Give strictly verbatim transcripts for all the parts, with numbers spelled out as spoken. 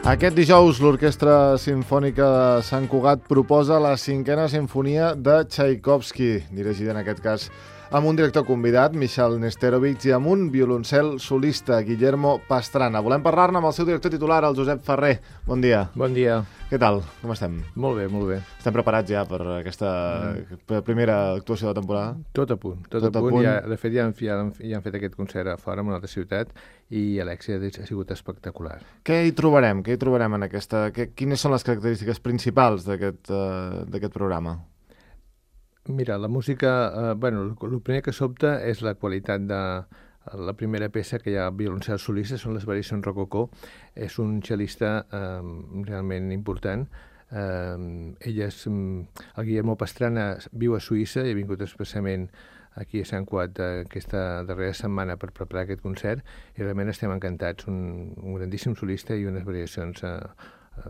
Aquest dijous, l'Orquestra Simfònica de Sant Cugat proposa la cinquena sinfonia de Tchaikovsky, dirigida en aquest cas amb un director convidat, Michal Nesterovich, i amb un violoncel solista, Guillermo Pastrana. Volem parlar-ne amb el seu director titular, el Josep Ferrer. Bon dia. Bon dia. Què tal? Com estem? Molt bé, molt bé. Estem preparats ja per aquesta mm. primera actuació de la temporada? Tot a punt, tot, tot a punt. punt. Ja, de fet, ja han, ja, han, ja han fet aquest concert a fora, en una altra ciutat, i l'èxit ha sigut espectacular. Què hi trobarem? Què hi trobarem en aquesta... Que, quines són les característiques principals d'aquest uh, d'aquest programa? Mira, la música... Eh, bueno, el primer que sobta és la qualitat de... La primera peça, que hi ha violoncel solista, són les variacions rococó. És un cel·lista eh, realment important. Eh, ella és... El Guillermo Pastrana viu a Suïssa i ha vingut expressament aquí a Sant Cugat aquesta darrera setmana per preparar aquest concert, i realment estem encantats. Un, un grandíssim solista i unes variacions eh,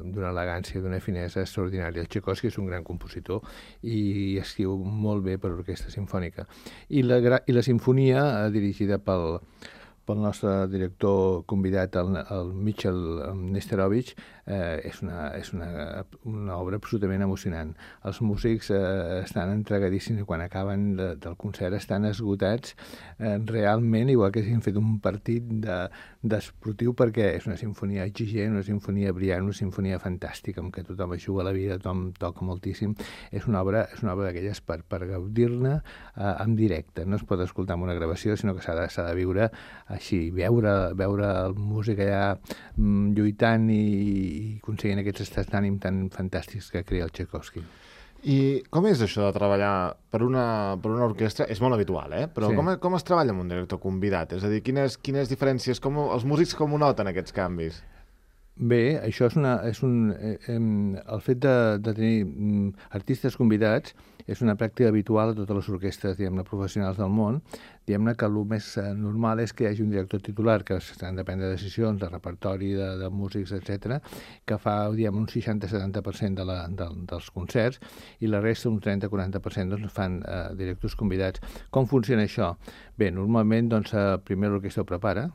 d'una elegància, d'una finesa extraordinària. El Tchaikovsky és un gran compositor i escriu molt bé per orquestra simfònica. I la, i la sinfonia, eh, dirigida pel, pel nostre director convidat, el, el Michal Nesterovich, eh, és, una, és una, una obra absolutament emocionant. Els músics eh, estan entregadíssims i quan acaben de, del concert estan esgotats eh, realment, igual que hagin fet un partit de, d'esportiu, perquè és una sinfonia exigent, una sinfonia brillant, una sinfonia fantàstica, en què tothom es juga la vida, tothom toca moltíssim. És una obra, és una obra d'aquelles per, per gaudir-ne eh, en directe. No es pot escoltar en una gravació, sinó que s'ha de, s'ha de viure així, veure, veure el músic allà mm, lluitant i, i aconseguint aquests estats d'ànim tan fantàstics que crea el Tchaikovsky. I com és això de treballar per una, per una orquestra? És molt habitual, eh? Però sí. com, com es treballa amb un director convidat? És a dir, quines, quines diferències, com, els músics com ho noten, aquests canvis? Bé, això és una... És un, eh, eh, el fet de, de tenir mm, artistes convidats és una pràctica habitual a totes les orquestres, diguem-ne, professionals del món. Diguem-ne que el més eh, normal és que hi hagi un director titular, que s'han de prendre decisions de repertori, de, de músics, etcètera, que fa, diguem, un seixanta a setanta per cent de la, de, dels concerts, i la resta, un trenta a quaranta per cent, doncs, fan eh, directors convidats. Com funciona això? Bé, normalment, doncs, eh, primer l'orquestra ho prepara,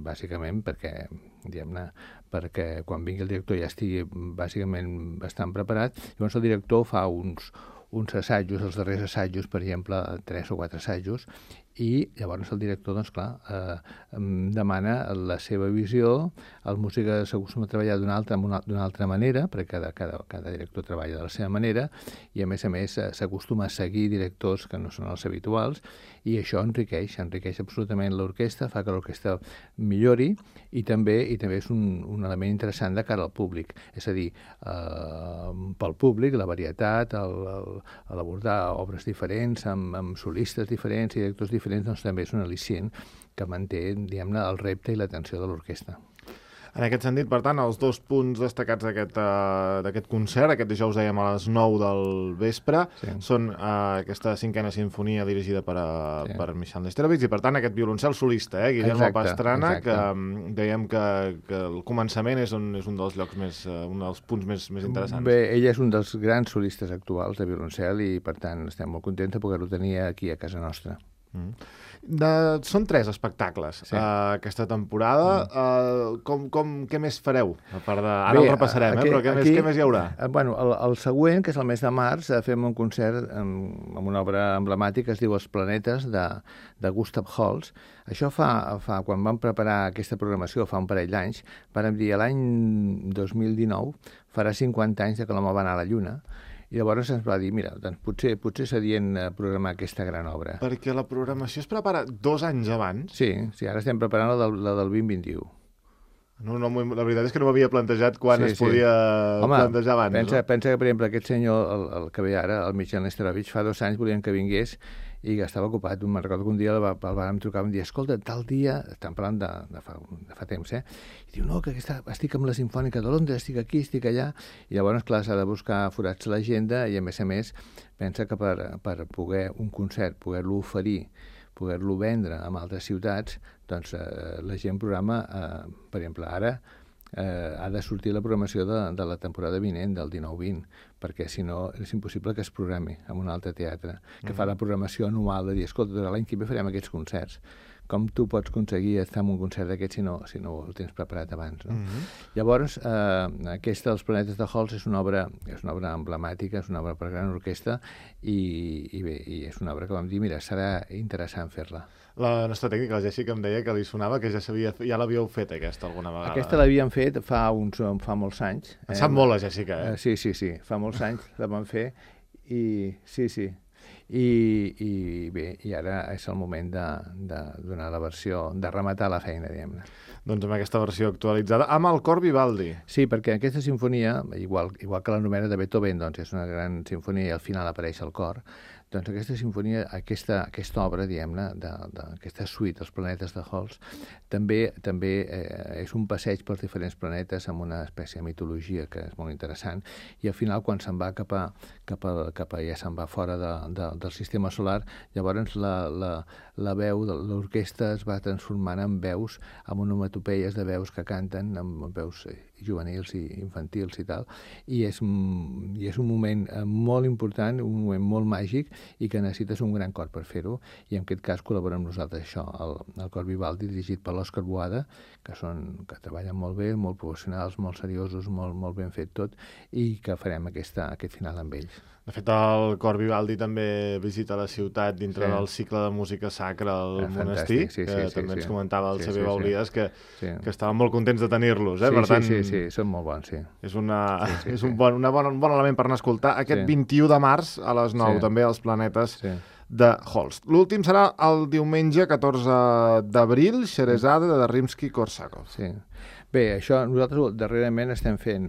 bàsicament, perquè, diguem-ne, perquè quan vingui el director ja estigui bàsicament bastant preparat. Llavors el director fa uns, uns assajos, els darrers assajos, per exemple, tres o quatre assajos, i llavors el director, doncs clar, eh, demana la seva visió. El músic s'acostuma a treballar d'una altra, d'una altra manera, perquè cada, cada, cada director treballa de la seva manera, i a més a més s'acostuma a seguir directors que no són els habituals, i això enriqueix, enriqueix absolutament l'orquestra, fa que l'orquestra millori, i també i també és un, un element interessant de cara al públic. És a dir, eh, pel públic, la varietat, el, el, l'abordar obres diferents, amb, amb solistes diferents i directors diferents, doncs també és un al·licient que manté, diguem-ne, el repte i l'atenció de l'orquestra. En aquest sentit, per tant, els dos punts destacats d'aquest uh, concert, aquest dijous dèiem a les nou del vespre, sí. són uh, aquesta cinquena sinfonia dirigida per, uh, sí. per Michal Nesterovich i, per tant, aquest violoncel solista, eh, Guillermo exacte, Pastrana, exacte. que um, dèiem que, que el començament és un, és un dels llocs més, uh, un dels punts més, més interessants. Bé, ell és un dels grans solistes actuals de violoncel i, per tant, estem molt contents de poder-lo tenir aquí a casa nostra. Mm. De, són tres espectacles sí. uh, aquesta temporada. Mm. Uh, com, com, què més fareu? A part de... Ara Bé, el repassarem, aquí, eh? però què, aquí, més, què més hi haurà? Uh, bueno, el, el següent, que és el mes de març, uh, fem un concert amb, amb una obra emblemàtica que es diu Els planetes, de, de Gustav Holst. Això fa, fa, quan vam preparar aquesta programació, fa un parell d'anys, vam dir l'any dos mil dinou farà cinquanta anys de que l'home va anar a la Lluna. I llavors ens va dir, mira, doncs potser, potser s'adient programar aquesta gran obra. Perquè la programació es prepara dos anys abans? Sí, sí, ara estem preparant la del, la del vint vint-un. No, no, la veritat és que no m'havia plantejat quan sí, es sí. podia Home, plantejar abans. Pensa, no? pensa que, per exemple, aquest senyor, el, el que ve ara, el Michal Nesterovich, fa dos anys volien que vingués i que estava ocupat. Me'n recordo que un dia el, el vàrem trucar i em dir, escolta, tal dia, estan parlant de, de, fa, de fa temps, eh? I diu, no, que aquesta, estic amb la Simfònica de Londres, estic aquí, estic allà. I llavors, clar, s'ha de buscar forats a l'agenda i, a més a més, pensa que per, per poder un concert, poder-lo oferir, poder-lo vendre en altres ciutats, doncs eh, la gent programa, eh, per exemple, ara, eh, ha de sortir la programació de, de la temporada vinent, del dinou vint, perquè si no és impossible que es programi en un altre teatre, que mm. fa la programació anual de dir, escolta, l'any que ve farem aquests concerts. Com tu pots aconseguir estar en un concert d'aquest si no, si no el tens preparat abans, no? Mm-hmm. Llavors, eh, aquesta dels Planetes de Halls és una obra, és una obra emblemàtica, és una obra per gran orquestra i, i bé, i és una obra que vam dir, mira, serà interessant fer-la. La nostra tècnica, la Jessica, em deia que li sonava que ja sabia, ja l'havíeu fet, aquesta, alguna vegada. Aquesta l'havíem fet fa, uns, fa molts anys. En sap molt, la Jessica, eh? eh? Sí, sí, sí, fa molts anys la vam fer i sí, sí. I, i bé, i ara és el moment de, de donar la versió, de rematar la feina, diguem-ne. Doncs amb aquesta versió actualitzada, amb el cor Vivaldi. Sí, perquè aquesta sinfonia, igual, igual que la novena de Beethoven, doncs és una gran sinfonia i al final apareix el cor, doncs aquesta sinfonia, aquesta, aquesta obra, diguem-ne, d'aquesta suite, Els planetes de Halls, també també eh, és un passeig pels diferents planetes amb una espècie de mitologia que és molt interessant, i al final, quan se'n va cap a, cap a, cap a ja se'n va fora de, de, del sistema solar, llavors la, la, la veu de l'orquestra es va transformant en veus, amb onomatopeies de veus que canten, amb veus juvenils i infantils i tal, i és, i és un moment molt important, un moment molt màgic, i que necessites un gran cor per fer-ho, i en aquest cas col·labora amb nosaltres això, el, el cor Vivaldi, dirigit per l'Òscar Boada, que, són, que treballen molt bé, molt professionals, molt seriosos, molt, molt ben fet tot, i que farem aquesta, aquest final amb ells. De fet, el cor Vivaldi també visita la ciutat dintre sí. del cicle de música sacra al eh, monestir, sí, sí, que sí, també sí, ens comentava el sí, Xavier sí, Baulies, que, sí. que estaven molt contents de tenir-los. Eh? Sí, per tant, sí, sí, sí, són molt bons, sí. És, una, sí, sí, és un, sí. bon, una bon, un bon element per anar a escoltar. Aquest sí. vint-i-u de març a les nou, sí. també, als Planetes sí. de Halls. L'últim serà el diumenge catorze d'abril, Xerezade de Rimsky-Korsakov. Sí. Bé, això nosaltres darrerament estem fent,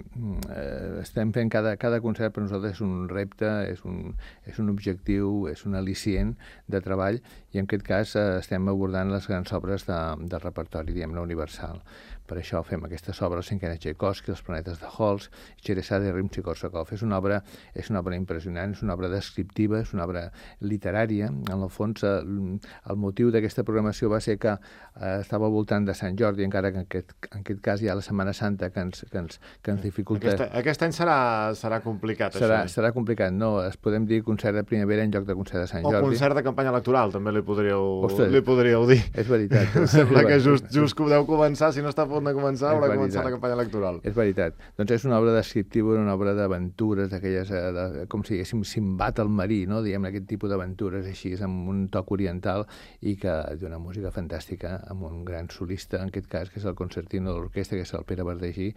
eh, estem fent cada, cada concert per nosaltres és un repte, és un, és un objectiu, és un al·licient de treball, i en aquest cas eh, estem abordant les grans obres de, del repertori, diguem-ne, universal. Per això fem aquestes obres, Cinquena Tchaikovsky, Els planetes de Halls, Xerezade de Rimsky-Korsakov. És una obra, és una obra impressionant, és una obra descriptiva, és una obra literària. En el fons, eh, el motiu d'aquesta programació va ser que eh, estava al voltant de Sant Jordi, encara que en aquest, en aquest cas hi ha la Setmana Santa que ens, que ens, que ens dificulta. Aquest, aquest any serà, serà complicat, serà, això. Serà complicat, no. Es podem dir concert de primavera en lloc de concert de Sant Jordi. O concert de campanya electoral, també li podríeu, Ostres, li podríeu dir. És veritat. Sembla que just, just que ho deu començar, si no està a punt de començar, haurà de començar la campanya electoral. És veritat. Doncs és una obra descriptiva, una obra d'aventures, d'aquelles, de, com si diguéssim, Simbat el marí, no? Diguem aquest tipus d'aventures així, amb un toc oriental, i que d'una música fantàstica, amb un gran solista, en aquest cas, que és el concertino de l'orquestra, que és el Pere Verdegí,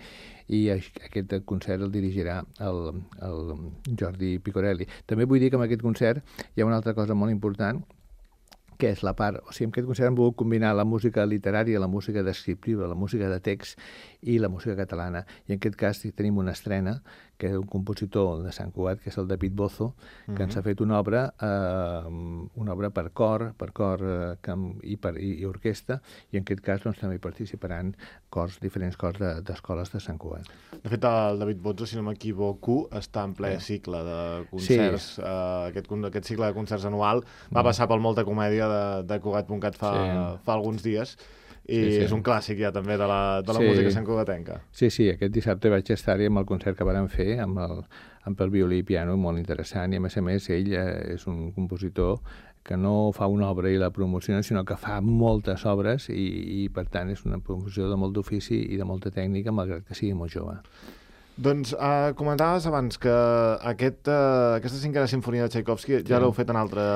i aquest concert el dirigirà el, el Jordi Picorelli. També vull dir que en aquest concert hi ha una altra cosa molt important, que és la part... O sigui, en aquest concert hem volgut combinar la música literària, la música descriptiva, la música de text i la música catalana. I en aquest cas tenim una estrena, que és un compositor de Sant Cugat, que és el David Bozo, que mm-hmm. ens ha fet una obra, eh, una obra per cor, per cor eh, i, per, i, i orquestra, i en aquest cas doncs, també hi participaran cors, diferents cors d'escoles de, de Sant Cugat. De fet, el David Bozo, si no m'equivoco, està en ple sí. cicle de concerts. Sí. Eh, aquest, aquest cicle de concerts anual va mm. passar pel Molta Comèdia de, de Cugat punt cat fa, sí. fa alguns dies, i sí, sí. és un clàssic ja també de la, de la sí. música santcugatenca. Sí, sí, aquest dissabte vaig estar-hi amb el concert que vàrem fer, amb el, amb el violí i piano, molt interessant, i a més a més ell eh, és un compositor que no fa una obra i la promociona, sinó que fa moltes obres, i, i per tant és una promoció de molt d'ofici i de molta tècnica, malgrat que sigui molt jove. Doncs uh, comentaves abans que aquest, uh, aquesta cinquena sinfonia de Tchaikovsky ja sí. l'heu fet en altre...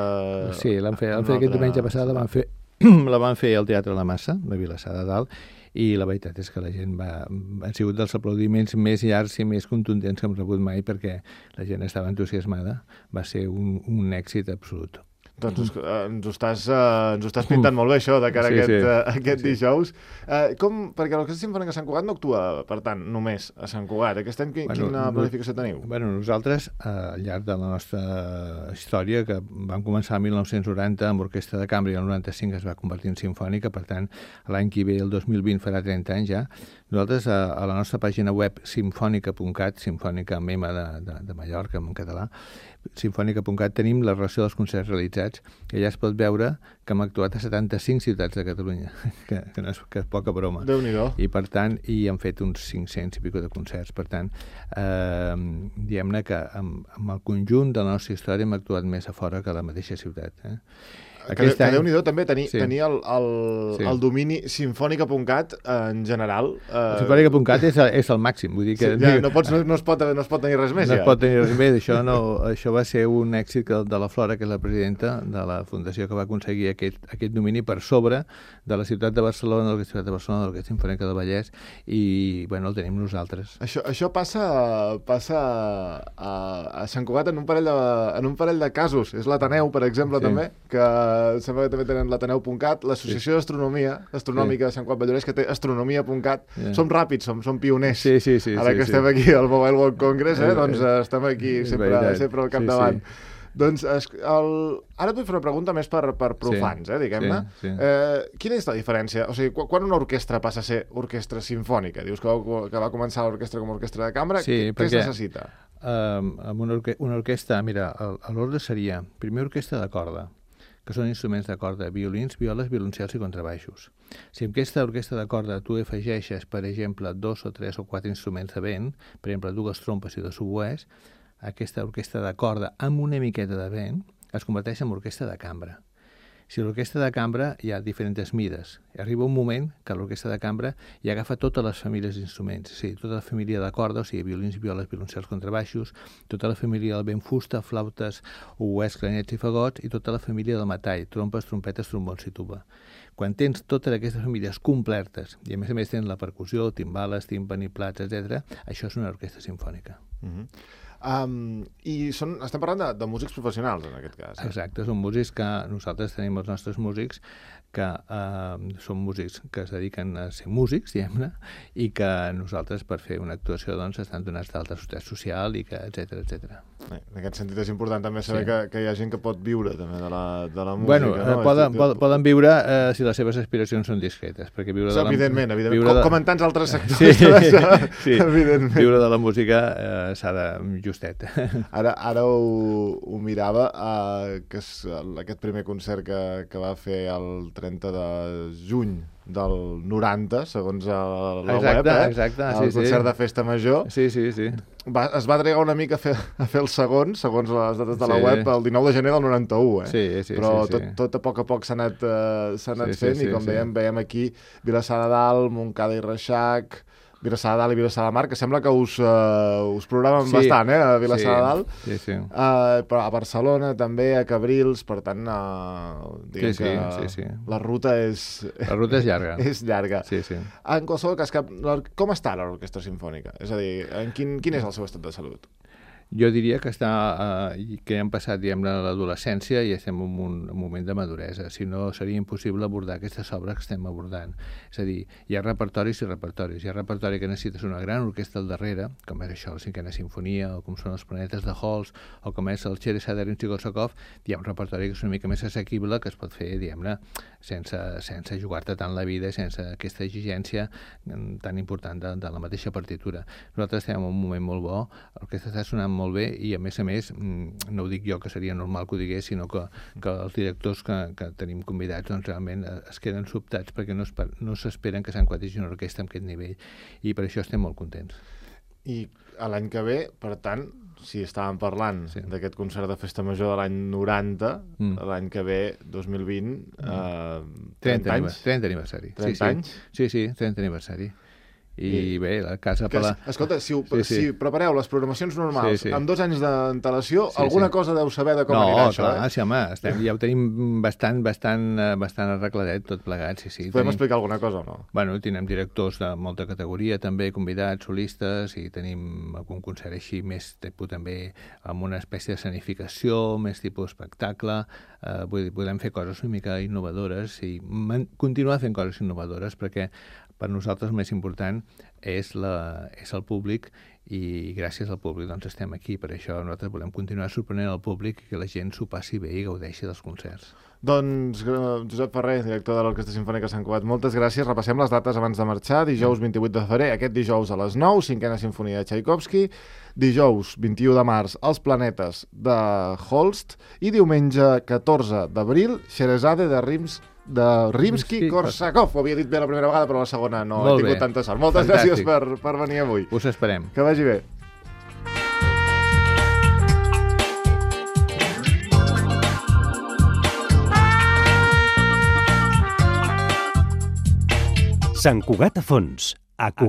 Sí, l'han fet, l'han fet altre... aquest diumenge passat, la van fer, la van fer al Teatre La Massa, de Vilassar de Dalt, i la veritat és que la gent va... han sigut dels aplaudiments més llargs i més contundents que hem rebut mai, perquè la gent estava entusiasmada. Va ser un, un èxit absolut. Doncs uh, ens, ho estàs, uh, ens ho estàs pintant molt bé, això, de cara sí, a aquest, sí. uh, aquest sí. dijous. Uh, com, perquè l'Orquestra Simfònica de Sant Cugat no actua, per tant, només a Sant Cugat. Aquest any, bueno, quina planificació teniu? Bueno, nosaltres, uh, al llarg de la nostra història, que vam començar el mil nou-cents noranta amb orquestra de cambra, i el noranta-cinc es va convertir en simfònica, per tant, l'any que ve, el dos mil vint, farà trenta anys ja. Nosaltres, a, a la nostra pàgina web simfònica punt cat, simfònica amb M de, de, de Mallorca, en català, sinfònica punt cat tenim la relació dels concerts realitzats, i allà es pot veure que hem actuat a setanta-cinc ciutats de Catalunya, que, que, no és, que és poca broma. Déu-n'hi-do. I per tant, i hem fet uns cinc-cents i pico de concerts. Per tant, eh, diguem-ne que amb, amb el conjunt de la nostra història hem actuat més a fora que a la mateixa ciutat. Eh? Que, que any... Déu-n'hi-do també tenir, sí. tenir el, el, sí. el domini sinfònica punt cat en general. Eh... Sinfònica punt cat és, és el màxim. Vull dir que... Sí, ja, no, pots, no, no, es pot, no es pot tenir res més. No ja. es pot tenir res més. Això, no, això va ser un èxit de la Flora, que és la presidenta de la fundació, que va aconseguir aquest, aquest domini per sobre de la ciutat de Barcelona, de l'Orquestra de Barcelona, de l'Orquestra Sinfònica del Vallès, i bueno, el tenim nosaltres. Això, això passa, passa a, a Sant Cugat en un parell de, en un parell de casos. És l'Ateneu, per exemple, sí. també, que sembla que també tenen l'Ateneu punt cat, l'Associació sí. d'Astronomia Astronòmica sí. de Sant Cugat Vallès, que té astronomia punt cat. Yeah. Som ràpids, som, som pioners. Sí, sí, sí, Ara sí, que sí. estem aquí al Mobile World Congress, eh, doncs eh, estem aquí sempre, sempre al capdavant. Sí, sí. Doncs el... ara et vull fer una pregunta més per, per profans, sí. eh, diguem-ne. Sí, sí. Eh, quina és la diferència? O sigui, quan una orquestra passa a ser orquestra sinfònica? Dius que va, que va començar l'orquestra com a orquestra de cambra. Sí, què es necessita? Um, amb una, orque una orquestra, mira, l'ordre seria, primer orquestra de corda, que són instruments de corda, violins, violes, violoncels i contrabaixos. Si en aquesta orquestra de corda tu afegeixes, per exemple, dos o tres o quatre instruments de vent, per exemple, dues trompes i dos oboès, aquesta orquestra de corda amb una miqueta de vent es converteix en orquestra de cambra. Si l'orquestra de cambra hi ha diferents mides. Arriba un moment que l'orquestra de cambra hi agafa totes les famílies d'instruments, és a dir, tota la família de corda, o sigui, violins, violes, violoncels, contrabaixos, tota la família del vent fusta, flautes, oboès, clarinets i fagots, i tota la família del metall, trompes, trompetes, trombons i tuba. Quan tens totes aquestes famílies completes, i a més a més tens la percussió, timbales, tímpani, plats, etcètera, això és una orquestra simfònica. Mm-hmm. Um, I són, estem parlant de, de músics professionals, en aquest cas. Eh? Exacte, són músics que nosaltres tenim els nostres músics que uh, són músics que es dediquen a ser músics, diguem-ne, i que nosaltres, per fer una actuació, doncs, estan donats d'alta societat social, i que, etcètera, etcètera. En aquest sentit és important també saber sí. que, que hi ha gent que pot viure també de la, de la música. Bueno, no? poden, poden, poden viure eh, si les seves aspiracions són discretes, perquè viure sí, de la evidentment, evidentment. Viure com, de... com en tants altres sectors. Sí, sí. Evidentment. Viure de la música eh, s'ha de justet. Ara, ara ho, ho mirava, uh, que és aquest primer concert que, que va fer el trenta de juny del noranta, segons la exacte, web, eh? Exacte, el sí, concert sí. de Festa Major. Sí, sí, sí. Va, es va trigar una mica a fer, a fer el segon, segons les dates de la sí. web, el dinou de gener del noranta-u, eh? Sí, sí, però sí, tot, sí. tot a poc a poc s'ha anat, uh, s'ha anat sí, fent, sí, i com sí, dèiem, sí. veiem aquí Vilassar de Dalt, Montcada i Reixac, Vilassar de Dalt i Vilassar de Mar, que sembla que us, uh, us programen sí. bastant, eh, a Vilassar sí. de Dalt. Sí, sí. Uh, però a Barcelona també, a Cabrils, per tant, uh, diguem sí, sí, que sí, sí. la ruta és... La ruta és llarga. és llarga. Sí, sí. En qualsevol cas, que, com està l'orquestra simfònica? És a dir, en quin, quin és el seu estat de salut? Jo diria que està eh, que hem passat, diguem-ne, a l'adolescència i estem en un, un moment de maduresa. Si no, seria impossible abordar aquestes obres que estem abordant. És a dir, hi ha repertoris i repertoris. Hi ha repertori que necessites una gran orquestra al darrere, com és això, la cinquena sinfonia, o com són els planetes de Holst, o com és el Cheresader Rimsky-Korsakov. Hi ha un repertori que és una mica més assequible, que es pot fer, diguem-ne, sense, sense jugar-te tant la vida, sense aquesta exigència tan important de, de la mateixa partitura. Nosaltres estem en un moment molt bo, l'orquestra està sonant molt bé, i a més a més, no ho dic jo que seria normal que ho digués, sinó que, que els directors que, que tenim convidats doncs realment es queden sobtats perquè no, es, no s'esperen que s'enquadrigi una orquestra amb aquest nivell, i per això estem molt contents. I l'any que ve, per tant, si estàvem parlant sí. d'aquest concert de Festa Major de l'any noranta, mm. l'any que ve, dos mil vint, mm. eh, trenta anys? trenta aniversari. trenta sí, anys? Sí, sí, trenta aniversari. I, I bé, la casa... Que, la... Escolta, si, ho, sí, sí. si prepareu les programacions normals sí, sí. amb dos anys d'antelació, sí, sí. alguna cosa deu saber de com no, anirà això, clar, eh? Sí, home, estem, ja ho tenim bastant, bastant, bastant arregladet, tot plegat, sí, sí. Podem tenim... explicar alguna cosa o no? Bueno, tenim directors de molta categoria, també convidats, solistes, i tenim algun concert així més tipus també amb una espècie d'escenificació, més tipus espectacle, eh, vull dir, podem fer coses una mica innovadores i continuar fent coses innovadores, perquè per nosaltres el més important és, la, és el públic i gràcies al públic doncs estem aquí. Per això nosaltres volem continuar sorprenent el públic i que la gent s'ho passi bé i gaudeixi dels concerts. Doncs Josep Ferrer, director de l'Orquestra Simfònica Sant Cugat, moltes gràcies. Repassem les dates abans de marxar. Dijous vint-i-vuit de febrer, aquest dijous a les nou, cinquena sinfonia de Tchaikovsky. Dijous vint-i-u de març, Els planetes de Holst. I diumenge catorze d'abril, Scheherazade de Rims de Rimsky-Korsakov. Ho havia dit bé la primera vegada, però la segona no he tingut tanta sort. Moltes gràcies per, per venir avui. Us esperem. Que vagi bé. Sant Cugat a fons, a Cugat.